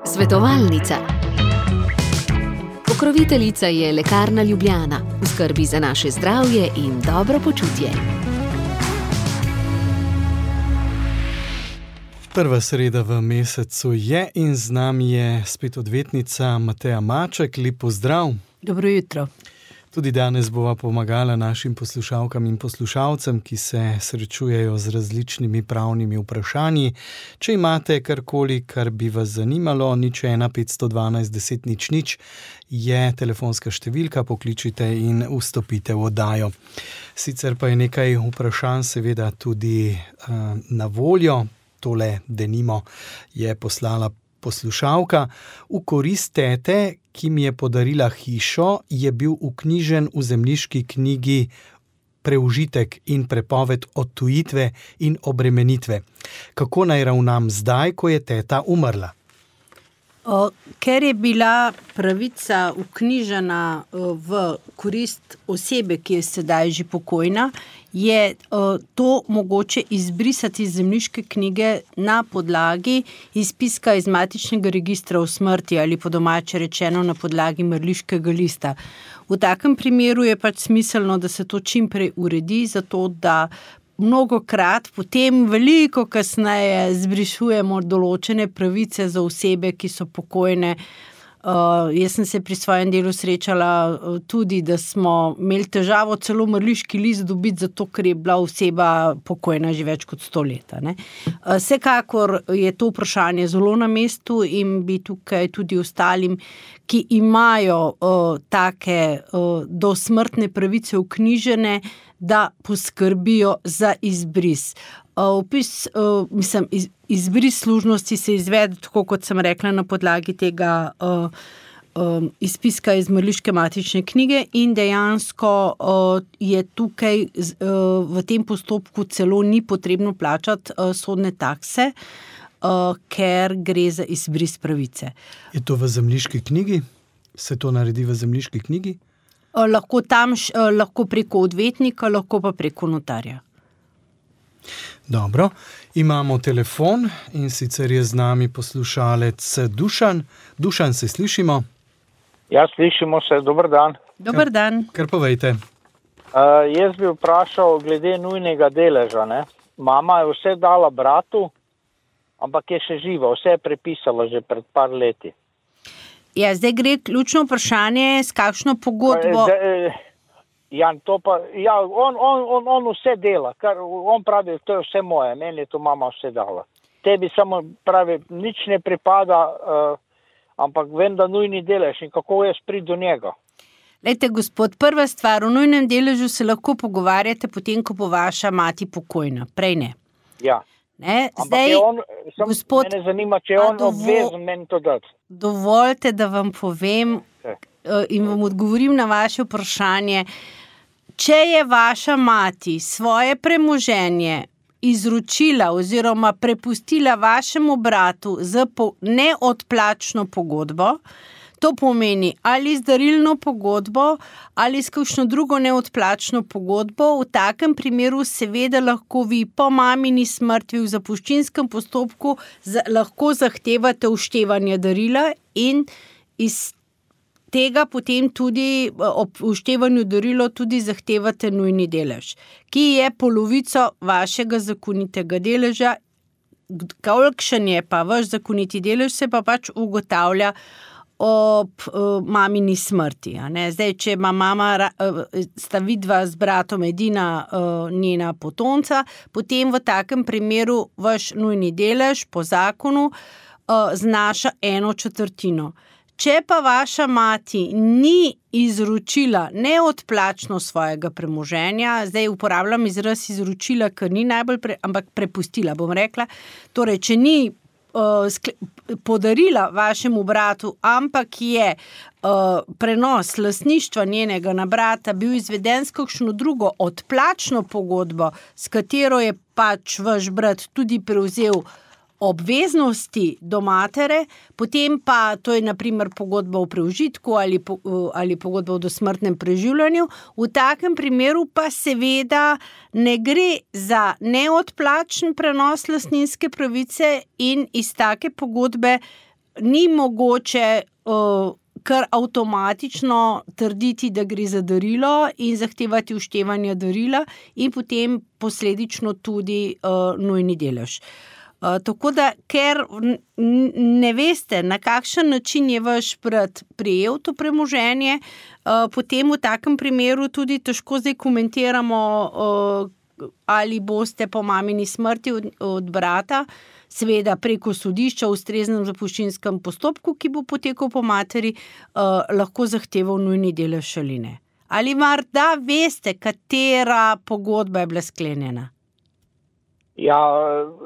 Svetovalnica. Pokroviteljica je Lekarna Ljubljana, v skrbi za naše zdravje in dobro počutje. Prva sreda v mesecu je in z nami je spet odvetnica Mateja Maček. Lep pozdrav. Dobro jutro. Tudi danes bova pomagala našim poslušalkam in poslušalcem, ki se srečujejo z različnimi pravnimi vprašanji. Če imate karkoli, kar bi vas zanimalo, 01 512 10 00 je telefonska številka, pokličite in vstopite v oddajo. Sicer pa je nekaj vprašanj seveda tudi na voljo. Tole denimo je poslala poslušalka. V korist tete, ki mi je podarila hišo, je bil vknjižen v zemljiški knjigi preužitek in prepoved odtujitve in obremenitve. Kako naj ravnam zdaj, ko je teta umrla? Ker je bila pravica vknjižena v korist osebe, ki je sedaj že pokojna, je to mogoče izbrisati iz zemljiške knjige na podlagi izpiska iz matičnega registra o smrti ali po domače rečeno na podlagi mrliškega lista. V takem primeru je pač smiselno, da se to čim prej uredi, zato da mnogokrat potem veliko kasneje zbrišujemo določene pravice za osebe, ki so pokojne. Jaz sem se pri svojem delu srečala tudi, da smo imeli težavo celo mrliški list dobiti, zato ker je bila oseba pokojna že več kot 100 let. Vsekakor je to vprašanje zelo na mestu in bi tukaj tudi ostalim, ki imajo take dosmrtne pravice vknjižene, da poskrbijo za izbris. Izbris služnosti se izvede, tako kot sem rekla, na podlagi tega izpiska iz mrliške matične knjige in dejansko je tukaj v tem postopku celo ni potrebno plačati sodne takse, ker gre za izbris pravice. Je to v zemljiški knjigi? Se to naredi v zemljiški knjigi? Lahko tam, lahko preko odvetnika, lahko pa preko notarja. Dobro, imamo telefon in sicer je z nami poslušalec Dušan. Dušan, se slišimo? Ja, slišimo se, dober dan. Dober dan. Kar povejte. Jaz bi vprašal glede nujnega deleža. Mama je vse dala bratu, ampak je še živa, vse je prepisala že pred par leti. Ja, zdaj gre ključno vprašanje, s kakšno pogodbo... On vse dela, kar on pravi, to je vse moje, meni je to mama vse dala. Tebi samo pravi, nič ne pripada, ampak vem, da nujni delež in kako jaz pridem do njega. Lejte, gospod, prva stvar, o nujnem deležu se lahko pogovarjate potem, ko bo vaša mati pokojna, prej ne. Ja. Ne, zdaj, gospod, mene zanima, če je on obvezen meni to dati. Dovolite, da vam povem in vam odgovorim na vaše vprašanje. Če je vaša mati svoje premoženje izročila oziroma prepustila vašemu bratu z neodplačno pogodbo, to pomeni ali z darilno pogodbo ali s kakšno drugo neodplačno pogodbo, v takem primeru seveda lahko vi po mamini smrti v zapuščinskem postopku lahko zahtevate vštevanje darila in iz tega potem tudi ob vštevanju darilo tudi zahtevate nujni delež, ki je polovico vašega zakonitega deleža. Kolikšen je pa vaš zakoniti delež, se pa pač ugotavlja ob mamini smrti. Zdaj, če ima mama, sta vidva z bratom edina njena potomca, potem v takem primeru vaš nujni delež po zakonu znaša 1/4. Če pa vaša mati ni izročila neodplačno svojega premoženja, zdaj uporabljam izraz izročila, ker ni najbolj, ampak prepustila, bom rekla, torej, če ni podarila vašemu bratu, ampak je prenos lastništva njenega na brata bil izveden s kakšno drugo odplačno pogodbo, s katero je pač vaš brat tudi prevzel obveznosti do matere, potem pa to je naprimer pogodba o preužitku ali pogodba o dosmrtnem preživljanju. V takem primeru pa seveda ne gre za neodplačen prenos lastninske pravice in iz take pogodbe ni mogoče kar avtomatično trditi, da gre za darilo in zahtevati uštevanje darila in potem posledično tudi nujni delež. Tako da, ker ne veste, na kakšen način je vaš brat prejel to premoženje, potem v takem primeru tudi težko zdaj komentiramo, ali boste po mamini smrti od brata, seveda preko sodišča v ustreznem zapuščinskem postopku, ki bo potekal po materi, lahko zahteval nujni delež ali ne. Ali morda veste, katera pogodba je bila sklenjena? Ja,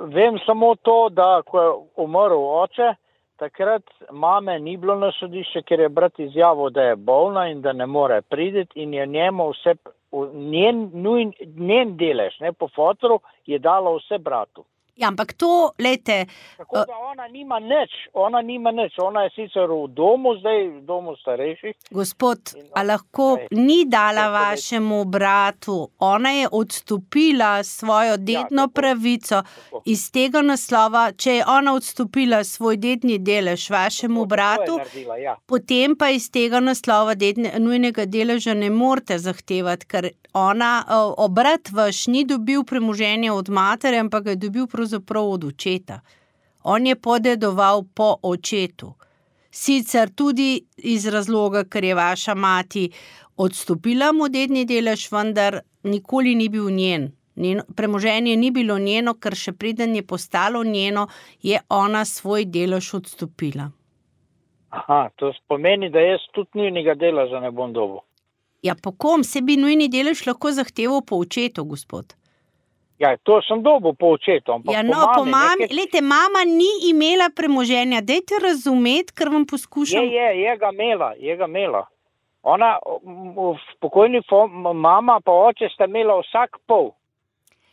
vem samo to, da ko je umrl oče, takrat mame ni bilo na sodišče, ker je brat izjavil, da je bolna in da ne more priti in je njemu vse, njen delež, ne, po fotru, je dala vse bratu. Ja, ampak to, lejte... Tako da ona nima nič, ona je sicer v domu zdaj, v domu starejših. Gospod, a lahko ni dala vašemu bratu, ona je odstopila svojo dedno pravico iz tega naslova, če je ona odstopila svoj dedni delež vašemu bratu, potem pa iz tega naslova nujnega deleža ne morete zahtevati, ker brat vaš ni dobil premoženja od matere, ampak ga je dobil pravzaprav od očeta. On je podedoval po očetu. Sicer tudi iz razloga, ker je vaša mati odstopila mu dedni delež, vendar nikoli ni bil njen. Premoženje ni bilo njeno, ker še preden je postalo njeno, je ona svoj delež odstopila. Aha, to pomeni, da jaz tudi nujnega deleža ne bom dobil. Ja, po kom se bi nujni delež lahko zahteval po očetu, gospod? Ja, to sem dobil po očetu, ampak ja, no, po mami, lejte, mama ni imela premoženja, dajte razumeti, ker vam poskušam... Je ga imela. Ona, pokojni mama pa oče sta imela vsak pol.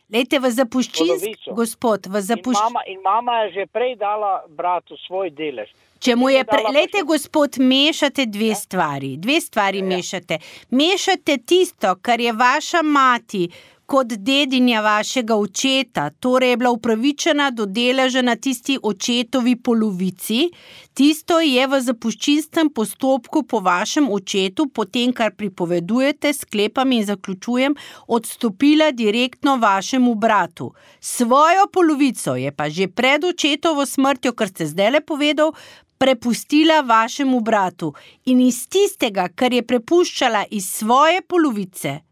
Lejte, v zapuščinski, gospod, In mama je že prej dala bratu svoj delež. Če mu je lejte, gospod, mešate dve stvari mešate. Mešate tisto, kar je vaša mati kot dedinja vašega očeta, torej je bila upravičena do deleža na tisti očetovi polovici, tisto je v zapuščinskem postopku po vašem očetu, potem, kar pripovedujete, sklepam in zaključujem, odstopila direktno vašemu bratu. Svojo polovico je pa že pred očetovo smrtjo, kar ste zdajle povedal, prepustila vašemu bratu. In iz tistega, kar je prepuščala iz svoje polovice,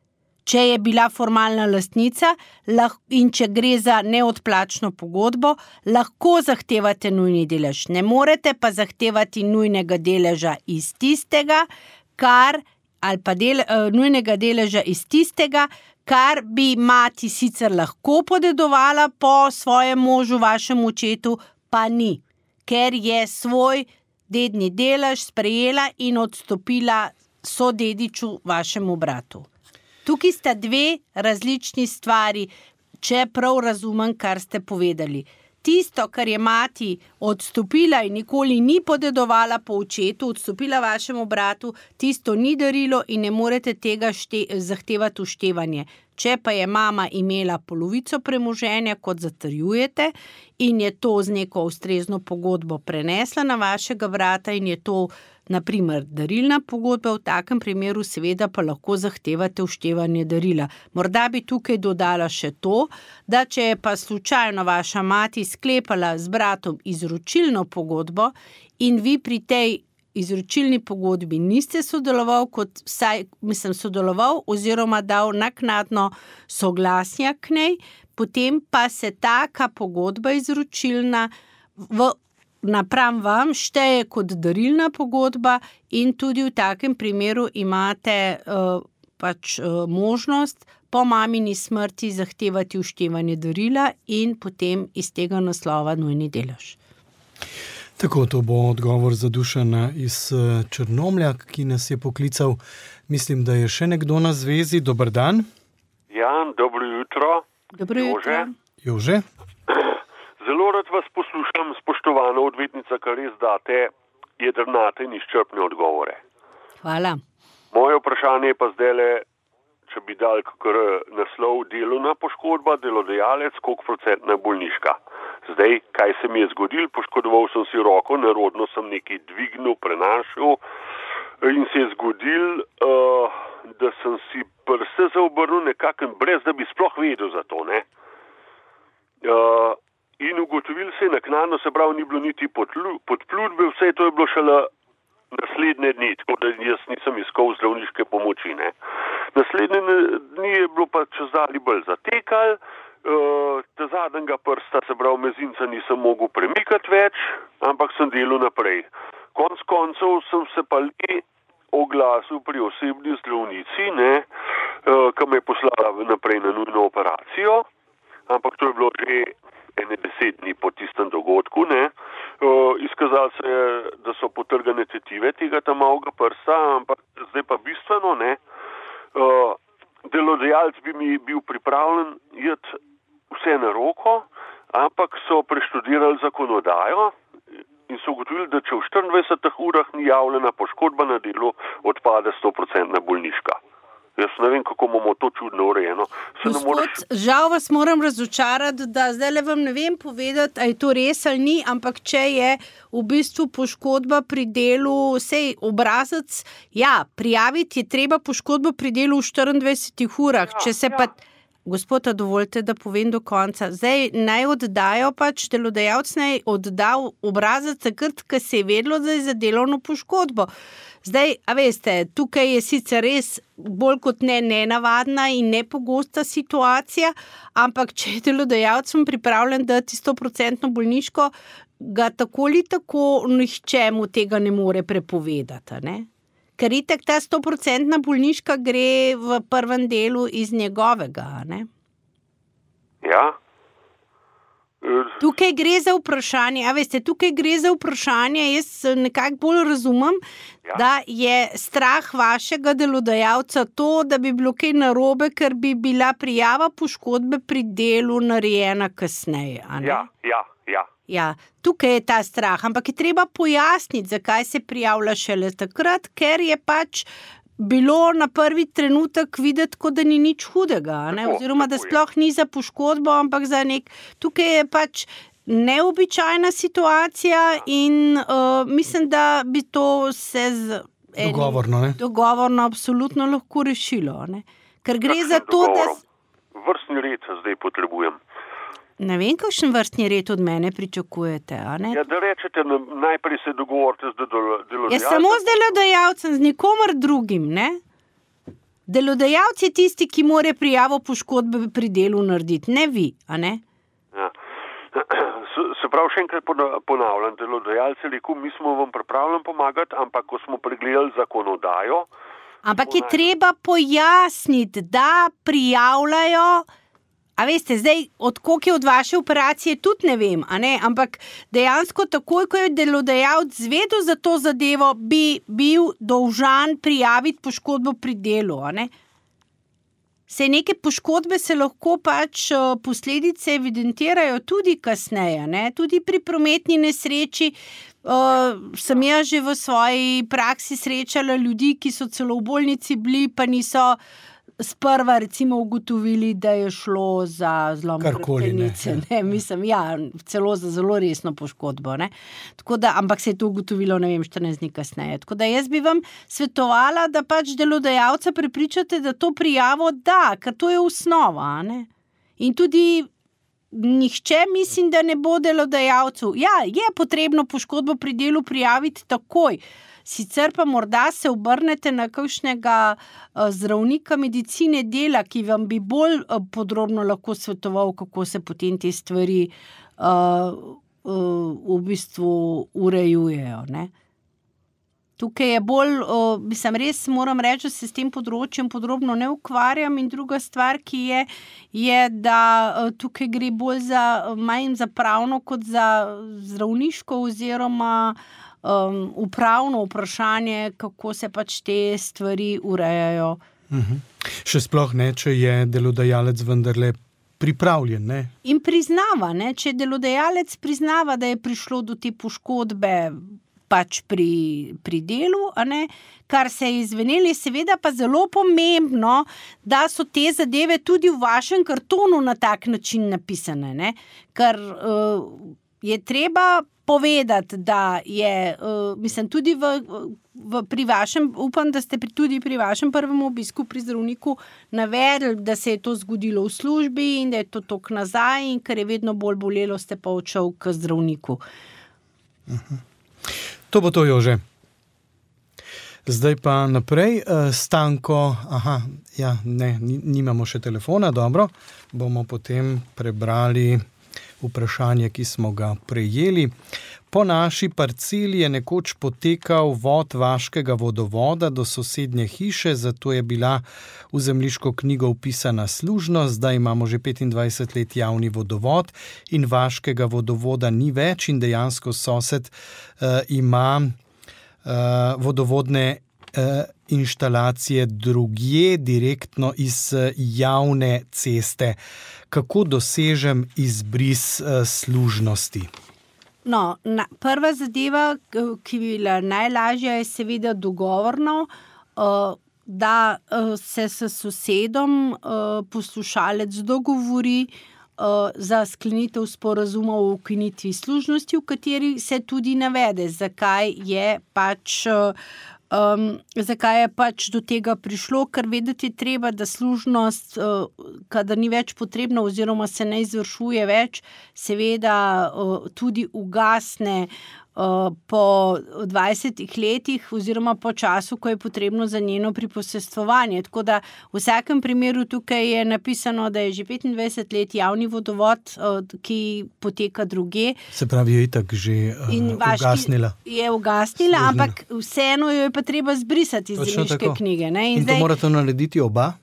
če je bila formalna lastnica in če gre za neodplačno pogodbo, lahko zahtevate nujni delež. Ne morete pa zahtevati nujnega deleža iz tistega, nujnega deleža iz tistega, kar bi mati sicer lahko podedovala po svojem možu, vašemu očetu, pa ni, ker je svoj dedni delež sprejela in odstopila sodediču vašemu bratu. Tukaj sta dve različni stvari, če prav razumem, kar ste povedali. Tisto, kar je mati odstopila in nikoli ni podedovala po očetu, odstopila vašemu bratu, tisto ni darilo in ne morete tega zahtevati uštevanje. Če pa je mama imela polovico premoženja, kot zatrjujete, in je to z neko ustrezno pogodbo prenesla na vašega brata in je to naprimer darilna pogodba, v takem primeru seveda pa lahko zahtevate uštevanje darila. Morda bi tukaj dodala še to, da če je pa slučajno vaša mati sklepala z bratom izročilno pogodbo in vi pri tej izročilni pogodbi niste sodeloval oziroma dal naknadno soglasja k njej, potem pa se taka pogodba izročilna napram vam šteje kot darilna pogodba in tudi v takem primeru imate možnost po mamini smrti zahtevati uštevanje darila in potem iz tega naslova nujni delež. Tako, to bo odgovor za Dušana iz Črnomlja, ki nas je poklical. Mislim, da je še nekdo na zvezi. Dober dan. Ja, dobro jutro. Dobro jutro. Jože. Zelo rad vas poslušam, spoštovana odvetnica, kar res date jedrnate in izčrpne odgovore. Hvala. Moje vprašanje je pa zdajle, če bi dal kakor naslov delovna poškodba, delodajalec, koliko procentna bolniška. Zdaj, kaj se mi je zgodilo, poškodoval sem si roko, nerodno sem nekaj dvignil, prenašal in se je zgodil, da sem si prste zaobrnil nekako brez, da bi sploh vedel za to, ne. In ugotovil se je naknadno, se pravi, ni bilo niti podplutbe, vse to je bilo šele naslednje dni, tako da jaz nisem iskal zdravniške pomoči, ne. Naslednje dni je bilo pa čezdalje bolj zatekal, ta zadnjega prsta, se pravi, mezinca nisem mogel premikati več, ampak sem delal naprej. Konec koncev sem se pa le oglasil pri osebni zdravnici, ne, ki me je poslala naprej na nujno operacijo, ampak to je bilo že 10 dni po tistem dogodku, ne. Izkazalo se je, da so potrgane tetive tega tam malega prsta, ampak zdaj pa bistveno, ne. Delodajalec bi mi bil pripravljen jeti vse na roko, ampak so preštudirali zakonodajo in so ugotovili, da če v 24 urah ni javljena poškodba na delu, odpade 100% bolniška. Jaz ne vem, kako imamo to čudno urejeno. Gospod, žal vas moram razočarati, da zdaj vam ne vem povedati, a je to res ali ni, ampak če je v bistvu poškodba pri delu, sej obrazec, ja, prijaviti je treba poškodbo pri delu v 24 urah, če se pa... Gospoda, dovolite, da povem do konca. Zdaj naj oddajo pač, delodajalec naj oddal obrazec takrat, ko se je vedelo, da je za delovno poškodbo. Zdaj, a veste, tukaj je sicer res bolj kot ne nenavadna in nepogosta situacija, ampak če je delodajalcem pripravljen dati 100% bolniško, ga tako ali tako nihče mu tega ne more prepovedati, ne? Ker itak ta 100% bolniška gre v prvem delu iz njegovega, ne? Ja. Tukaj gre za vprašanje, a veste, tukaj gre za vprašanje, jaz nekako bolj razumem, da je strah vašega delodajalca to, da bi bilo kaj narobe, ker bi bila prijava poškodbe pri delu narejena kasneje, a ne? Ja, tukaj je ta strah, ampak je treba pojasniti, zakaj se prijavlja šele takrat, ker je pač bilo na prvi trenutek videti, kot da ni nič hudega, ne? Oziroma, da sploh ni za poškodbo, ampak za tukaj je pač neobičajna situacija in mislim, da bi to se dogovorno absolutno lahko rešilo, ne? Ker gre za to, da... Vrstni red zdaj potrebujem. Ne vem, kakšen vrstni red od mene pričakujete, a ne? Ja, da rečete, najprej se dogovorite z delodajalcem. Ja, samo z delodajalcem, z nikomer drugim, ne? Delodajalec je tisti, ki mora prijavo poškodbe pri delu narediti, ne vi, a ne? Ja. Se pravi, še enkrat ponavljam, delodajalec je rekel, mi smo vam pripravljeni pomagati, ampak ko smo pregledali zakonodajo... Ampak je treba pojasniti, da prijavljajo... A veste, zdaj, od koliko je od vaše operacije, tudi ne vem, a ne? Ampak dejansko takoj, ko je delodajalec zvedel za to zadevo, bi bil dolžan prijaviti poškodbo pri delu, a ne? Saj neke poškodbe se lahko pač posledice evidentirajo tudi kasneje, ne? Tudi pri prometni nesreči sem jaz že v svoji praksi srečala ljudi, ki so celo v bolnici bili, pa niso sprva recimo ugotovili, da je šlo za zlom hrbtenice, ne, mislim, ja, celo za zelo resno poškodbo, ne. Tako da, ampak se je to ugotovilo, ne vem, 14 dni kasneje. Tako da jaz bi vam svetovala, da pač delodajalca prepričate, da to prijavo da, ker to je osnova, ne. In tudi nihče mislim, da ne bo delodajalcu. Ja, je potrebno poškodbo pri delu prijaviti takoj. Sicer pa morda se obrnete na kakšnega zdravnika medicine dela, ki vam bi bolj podrobno lahko svetoval, kako se potem te stvari v bistvu urejujejo, ne. Tukaj je bolj, mislim, res moram reči, da se s tem področjem podrobno ne ukvarjam in druga stvar, ki je, da tukaj gre bolj manj za pravno kot za zdravniško oziroma upravno vprašanje, kako se pač te stvari urejajo. Še sploh ne, če je delodajalec vendarle pripravljen, ne? In priznava, ne? Če delodajalec priznava, da je prišlo do te poškodbe pač pri delu, a ne? Kar se je izvenelo, je seveda pa zelo pomembno, da so te zadeve tudi v vašem kartonu na tak način napisane, ne? Ker je treba povedati, da je, mislim, tudi pri vašem, upam, da ste tudi pri vašem prvem obisku pri zdravniku navedli, da se je to zgodilo v službi in da je to tok nazaj in ker je vedno bolj bolelo, ste pa odšel k zdravniku. To bo to, Jože. Zdaj pa naprej. Stanko, nimamo še telefona, dobro. Bomo potem prebrali vprašanje, ki smo ga prejeli. Po naši parceli je nekoč potekal vod vaškega vodovoda do sosednje hiše, zato je bila v zemljiško knjigo vpisana služnost, zdaj imamo že 25 let javni vodovod in vaškega vodovoda ni več in dejansko sosed ima vodovodne inštalacije drugje, direktno iz javne ceste. Kako dosežem izbris služnosti? No, prva zadeva, ki bi bila najlažja, je seveda dogovorno, da se s sosedom poslušalec dogovori za sklenitev sporazuma o ukinitvi služnosti, v kateri se tudi navede, zakaj je pač do tega prišlo, ker vedeti je treba, da služnost, kadar ni več potrebna oziroma se ne izvršuje več, seveda tudi ugasne po 20 letih oziroma po času, ko je potrebno za njeno priposestvovanje. Tako da v vsakem primeru tukaj je napisano, da je že 25 let javni vodovod, ki poteka drugje. Se pravi, je itak že ugasnila. Je ugasnila, ampak vseeno jo je pa treba zbrisati iz zemljiške knjige. Ne? In to morate narediti oba?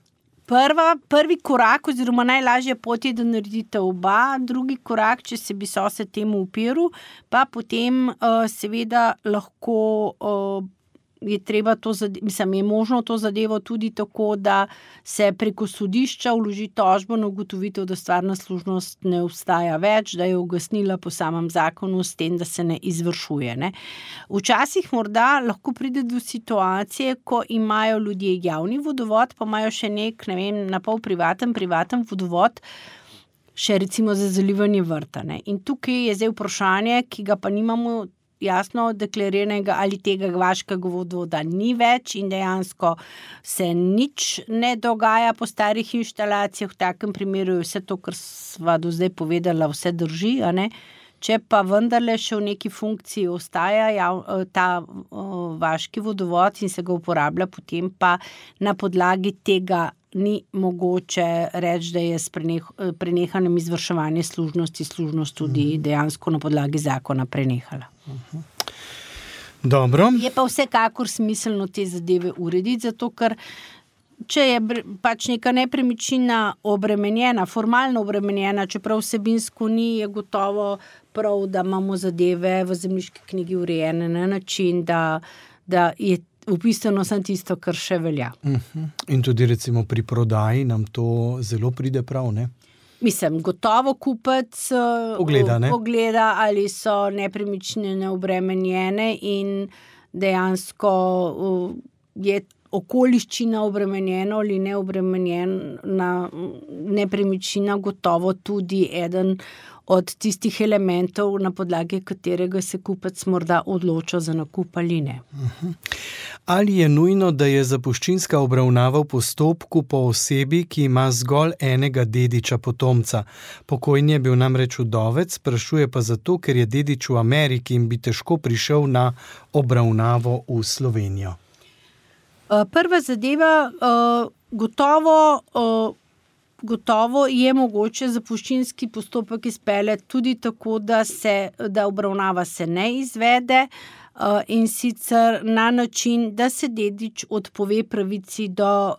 Prvi korak oziroma najlažja pot je, da naredite oba, drugi korak, če se bi sosed temu upiral, pa potem seveda lahko je treba je možno to zadevo tudi tako, da se preko sodišča vloži tožbo na ugotovitev, da stvarna služnost ne obstaja več, da je ugasnila po samem zakonu s tem, da se ne izvršuje. Ne? Včasih morda lahko pride do situacije, ko imajo ljudje javni vodovod, pa imajo še na pol privaten vodovod, še recimo za zalivanje vrta. Ne? In tukaj je zdaj vprašanje, ki ga pa nimamo jasno deklariranega, ali tega vaškega vodovoda ni več in dejansko se nič ne dogaja po starih inštalacijah. V takem primeru je vse to, kar sva do zdaj povedala, vse drži, a ne? Če pa vendarle še v neki funkciji ostaja ta vaški vodovod in se ga uporablja, potem pa na podlagi tega ni mogoče reči, da je s prenehanjem izvrševanja služnost tudi dejansko na podlagi zakona prenehala. Dobro. Je pa vsekakor smiselno te zadeve urediti, zato ker če je pač neka nepremičnina obremenjena, formalno obremenjena, čeprav vsebinsko ni, je gotovo prav, da imamo zadeve v zemljiški knjigi urejene na način, da je vpisano samo tisto, kar še velja. In tudi recimo pri prodaji nam to zelo pride prav, ne? Mislim, gotovo kupec pogleda, ali so nepremičnine obremenjene in dejansko je okoliščina obremenjena ali neobremenjena nepremičnina gotovo tudi eden od tistih elementov, na podlagi katerega se kupec morda odloča za nakup ali ne. Ali je nujno, da je zapuščinska obravnava v postopku po osebi, ki ima zgolj enega dediča potomca? Pokojni je bil namreč vdovec, sprašuje pa zato, ker je dedič v Ameriki in bi težko prišel na obravnavo v Slovenijo. Prva zadeva, gotovo je mogoče zapuščinski postopek izpeljati tudi tako, da obravnava se ne izvede, in sicer na način, da se dedič odpove pravici do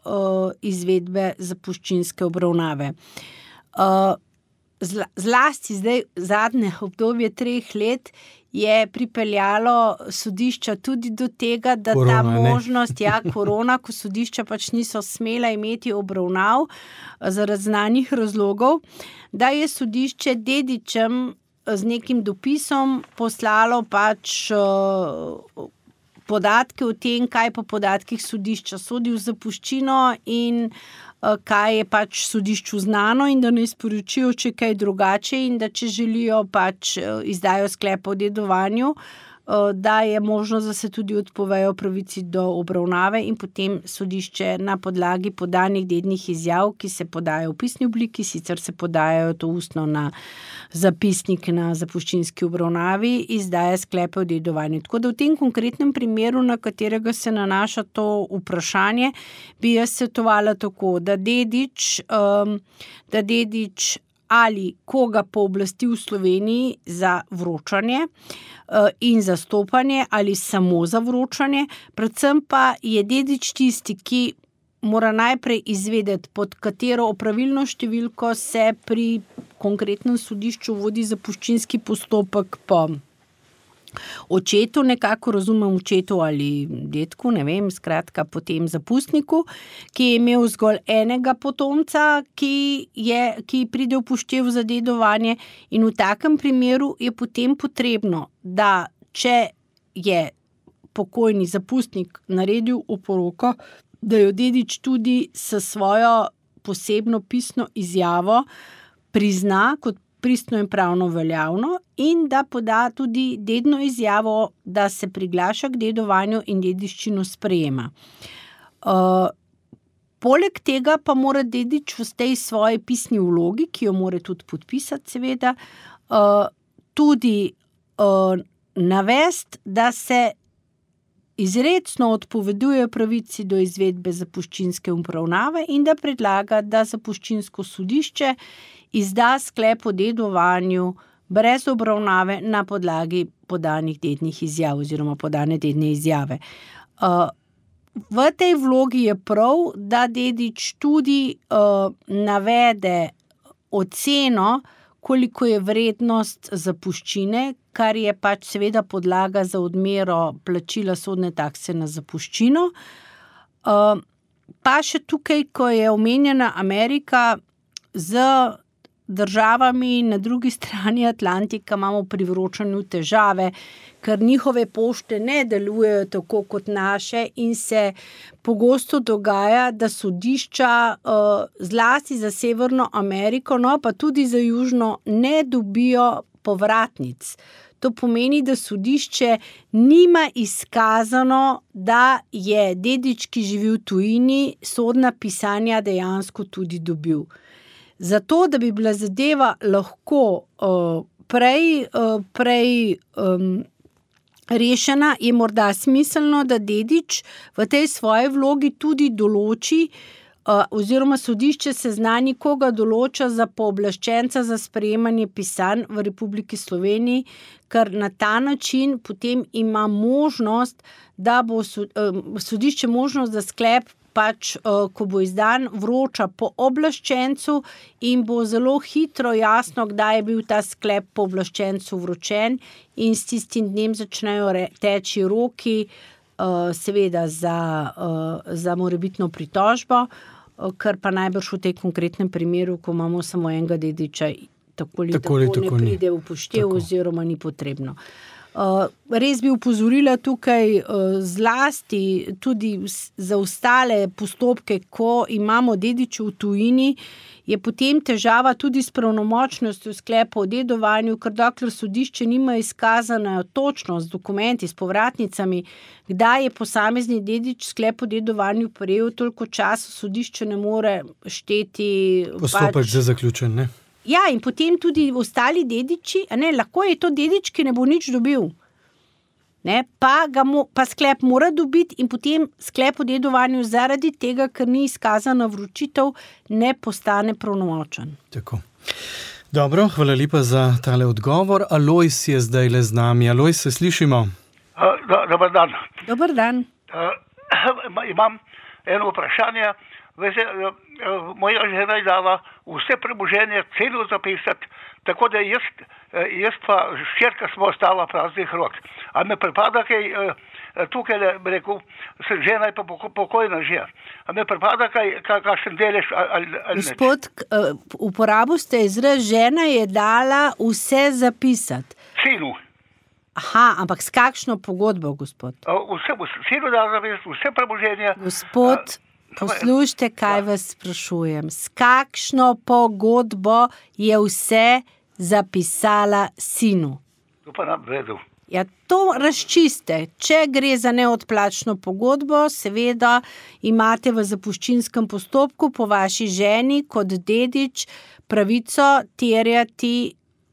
izvedbe zapuščinske obravnave. zlasti zdaj zadnje obdobje 3 let je pripeljalo sodišča tudi do tega, da korona, ta možnost, korona, ko sodišča pač niso smela imeti obravnav zaradi znanih razlogov, da je sodišče dedičem z nekim dopisom poslalo pač podatke o tem, kaj po podatkih sodišča sodi v zapuščino in kaj je pač sodišču znano in da ne sporočijo, če kaj drugače in da če želijo pač izdajo sklepa o dedovanju, da je možnost, da se tudi odpovejo pravici do obravnave in potem sodišče na podlagi podanih dednih izjav, ki se podajo v pisni obliki, sicer se podajajo to ustno na zapisnik na zapuščinski obravnavi, izdaja sklepe o dedovanju. Tako da v tem konkretnem primeru, na katerega se nanaša to vprašanje, bi jaz svetovala tako, da dedič ali koga pooblasti v Sloveniji za vročanje in zastopanje ali samo za vročanje, predvsem pa je dedič tisti, ki mora najprej izvedeti, pod katero opravilno številko se pri konkretnem sodišču vodi zapuščinski postopek po očetu, nekako razumem očetu ali detku, ne vem, skratka po tem zapustniku, ki je imel zgolj enega potomca, ki pride v poštev za dedovanje in v takem primeru je potem potrebno, da če je pokojni zapustnik naredil oporoko, da jo dedič tudi s svojo posebno pisno izjavo prizna kot pristno in pravno veljavno in da poda tudi dedno izjavo, da se priglaša k dedovanju in dediščino sprejema. Poleg tega pa mora dedič v tej svoji pisni vlogi, ki jo mora tudi podpisati seveda, tudi navesti, da se izrecno odpoveduje pravici do izvedbe zapuščinske obravnave in da predlaga, da zapuščinsko sodišče izda sklep o dedovanju brez obravnave na podlagi podanih dednih izjav oziroma podane dedne izjave. V tej vlogi je prav, da dedič tudi navede oceno, koliko je vrednost zapuščine, kar je pač seveda podlaga za odmero plačila sodne takse na zapuščino. Pa še tukaj, ko je omenjena Amerika, z državami na drugi strani Atlantika imamo pri vročanju težave, ker njihove pošte ne delujejo tako kot naše in se pogosto dogaja, da sodišča zlasti za Severno Ameriko, no pa tudi za Južno, ne dobijo povratnic. To pomeni, da sodišče nima izkazano, da je dedič, ki živi v tujini, sodna pisanja dejansko tudi dobil. Zato, da bi bila zadeva lahko prej rešena, je morda smiselno, da dedič v tej svoji vlogi tudi določi oziroma sodišče seznani, koga določa za pooblaščenca za sprejemanje pisanj v Republiki Sloveniji, ker na ta način potem ima možnost, da bo sodišče možnost, da sklep pač, ko bo izdan, vroča pooblaščencu in bo zelo hitro jasno, kdaj je bil ta sklep pooblaščencu vročen in s tistim dnem začnejo teči roki, seveda za morebitno pritožbo, kar pa najbrž v tej konkretnem primeru, ko imamo samo enega dediča, tako ne pride v poštev oziroma ni potrebno. Res bi upozorila tukaj zlasti tudi za ostale postopke, ko imamo dediče v tujini, je potem težava tudi s pravnomočnostjo sklepa o dedovanju, ker dokler sodišče nima izkazana točno z dokumenti, s povratnicami, kdaj je posamezni dedič sklep o dedovanju prejel, toliko časa sodišče ne more šteti. Postopek že zaključen, ne? Ja, in potem tudi ostali dediči, lahko je to dedič, ki ne bo nič dobil. Pa sklep mora dobiti in potem sklep o dedovanju zaradi tega, ker ni izkazana vročitev, ne postane pravnomočen. Tako. Dobro, hvala lepa za tale odgovor. Alojz je zdaj le z nami. Alojz, se slišimo? Dobar dan. Dobar dan. Imam eno vprašanje. Veste, moja žena je dala vse premoženje celo zapisati, tako da jaz pa hčerka smo ostala praznih rok. A me pripada kaj, tukaj bi rekel, žena je pa pokojna že. A me pripada kakšen delež ali ne? Gospod, uporabil ste izraz, žena je dala vse zapisati. Sinu. Aha, ampak s kakšno pogodbo, gospod? Sinu dala zapisati vse premoženje. Gospod, poslušajte, kaj vas sprašujem. S kakšno pogodbo je vse zapisala sinu? To pa nam vedel. Ja, to razčiste. Če gre za neodplačno pogodbo, seveda imate v zapuščinskem postopku po vaši ženi kot dedič pravico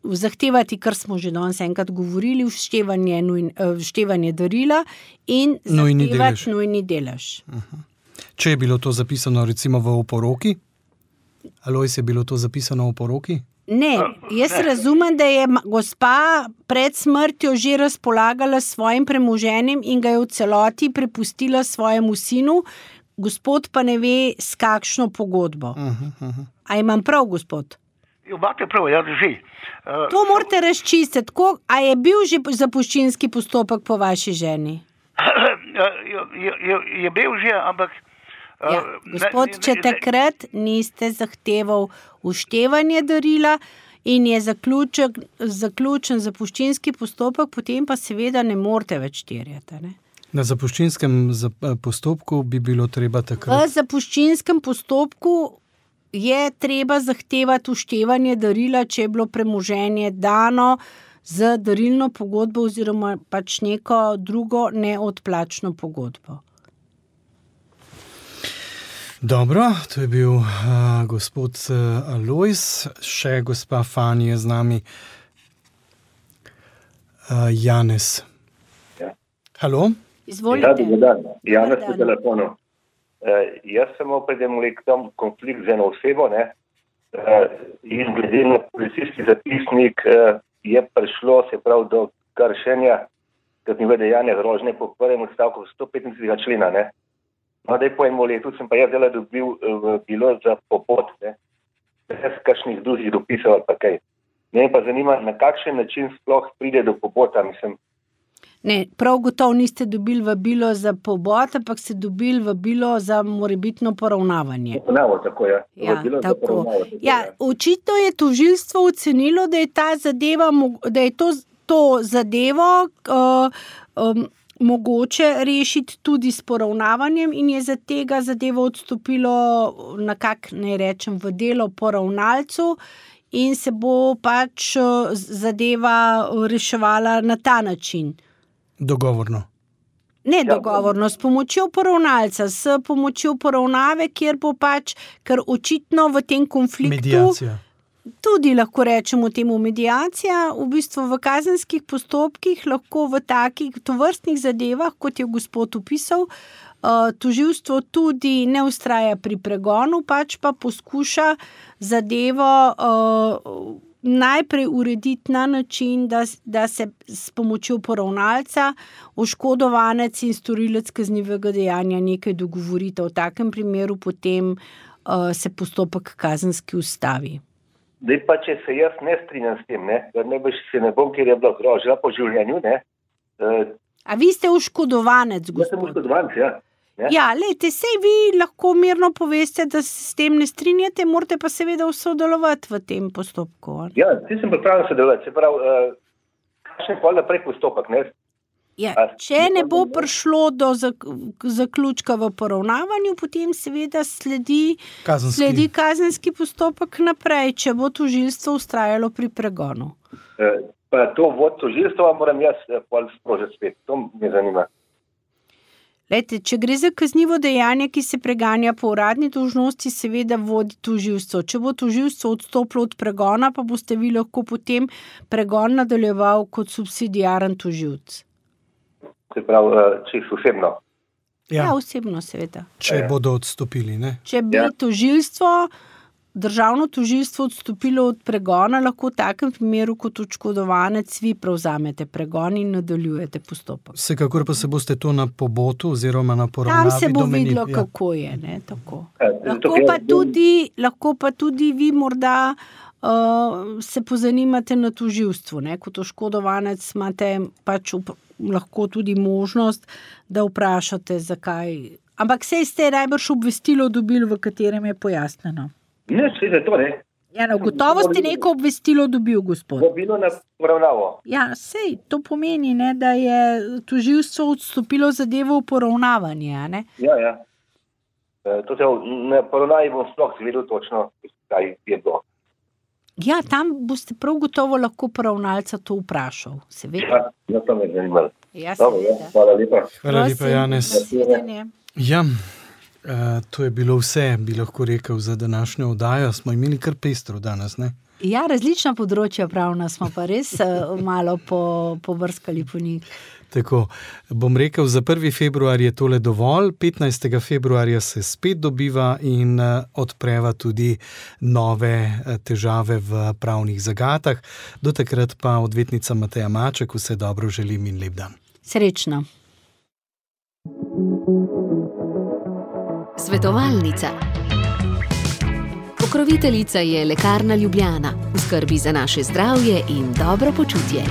zahtevati, kar smo že danes enkrat govorili, vštevanje darila in zahtevati nujni delež. Če je bilo to zapisano recimo v oporoki? Alojz, je bilo to zapisano v oporoki? Ne, jaz razumem, da je gospa pred smrtjo že razpolagala s svojim premoženjem in ga je v celoti prepustila svojemu sinu, gospod pa ne ve, s kakšno pogodbo. A imam prav, gospod? Imate prav, ja, drži. To morate razčistiti. A je bil že zapuščinski postopek po vaši ženi? Je bil že, ampak... Gospod, če takrat niste zahteval vštevanje darila in je zaključen zapuščinski postopek, potem pa seveda ne morete več terjati. Ne? Na zapuščinskem postopku bi bilo treba takrat... V zapuščinskem postopku je treba zahtevati vštevanje darila, če je bilo premoženje dano z darilno pogodbo oziroma pač neko drugo neodplačno pogodbo. Dobro, to je bil gospod Alojz, še gospa Fani je z nami. Janez. Ja. Halo? Izvolite. Ja, dober dan. Janez po telefonu. Jaz sem pred tam konflikt z eno osebo, ne? In glede na policijski zapisnik je prišlo, se pravi, do kršenja kaznivega dejanja grožnje po prvem odstavku 135. člena, ne? No, da je po enem letu sem pa jaz dobil bilo za popot, ne? Brez kakšnih drugih dopisov ali pa kaj. Mene pa zanima, na kakšen način sploh pride do popota, mislim. Ne, prav gotovo niste dobili vabilo za pobot, ampak ste dobili vabilo za morebitno poravnavanje. Poravnavo, tako je. Ja, tako. Ja, očitno je tožilstvo ocenilo, da je ta zadeva, da je to zadevo mogoče rešiti tudi s poravnavanjem in je za tega zadevo odstopilo v delo poravnalcu in se bo pač zadeva reševala na ta način. Dogovorno? Ne dogovorno, s pomočjo poravnalca, s pomočjo poravnave, kjer bo pač, ker očitno v tem konfliktu... Mediacija. Tudi lahko rečemo temu mediacija, v bistvu v kazenskih postopkih lahko v takih tovrstnih zadevah, kot je gospod opisal, tožilstvo tudi ne vztraja pri pregonu, pač pa poskuša zadevo najprej urediti na način, da se s pomočjo poravnalca oškodovanec in storilec kaznivega dejanja nekaj dogovorita. V takem primeru potem se postopek kazenski ustavi. Zdaj pa, če se jaz ne strinjam s tem, ne bom, ker je bila grožnja po življenju, ne. A vi ste oškodovanec, gospod? Jaz sem oškodovanec, ja. Ja, lejte, sej vi lahko mirno poveste, da se s tem ne strinjate, morate pa seveda sodelovati v tem postopku. Ja, ti sem pripravljen sodelovati, se pravi, kakšen pa naprej postopek, ne? Ja, če ne bo prišlo do zaključka v poravnavanju, potem seveda sledi kazenski postopek naprej, če bo tožilstvo vztrajalo pri pregonu. Pa to vod tožilstva moram jaz sprožiti spet, to me zanima. Lejte, če gre za kaznivo dejanje, ki se preganja po uradni dolžnosti, seveda vodi tožilstvo. Če bo tožilstvo odstopilo od pregona, pa boste vi lahko potem pregon nadaljeval kot subsidiaren tožilec. Se pravi, čisto osebno. Ja, osebno seveda. Če bodo odstopili, ne? Če bi tožilstvo državno tožilstvo odstopilo od pregona, lahko v takem primeru kot oškodovanec vi prevzamete pregon in nadaljujete postopek. Vsekakor pa se boste to na pobotu oziroma na poravnavi Tam se bo domenili, videlo, ja. kako je. Ne, tako. Ja, Lahko pa tudi vi morda se pozanimate na tožilstvu. Ne? Kot oškodovanec imate pač lahko tudi možnost, da vprašate, zakaj. Ampak sej ste najbrž obvestilo dobili, v katerem je pojasnjeno. Ne, se to ne. Ja, no, gotovo ste neko obvestilo dobil, gospod. Vabilo na poravnavo. Ja, sej, to pomeni, ne, da je tožilstvo odstopilo zadevo v poravnavanje, a ne? Ja. To se na poravnavi bom sploh zvedel točno, kaj je bilo. Ja, tam boste prav gotovo lahko poravnalca to vprašal, seveda. Ja, to me zanimalo. Ja, Dobro, seveda. hvala lepa. Hvala lepa, Janez. Nasvidenje. Ja, to je bilo vse, bi lahko rekel, za današnjo oddajo. Smo imeli kar pestro danes, ne? Ja, različna področja pravna smo pa res malo pobrskali po njih. Tako, bom rekel, za 1. februar je tole dovolj, 15. februarja se spet dobiva in odpreva tudi nove težave v pravnih zagatah. Do takrat pa odvetnica Mateja Maček, vse dobro želim in lep dan. Srečno. Svetovalnica. Pokroviteljica je Lekarna Ljubljana, v skrbi za naše zdravje in dobro počutje.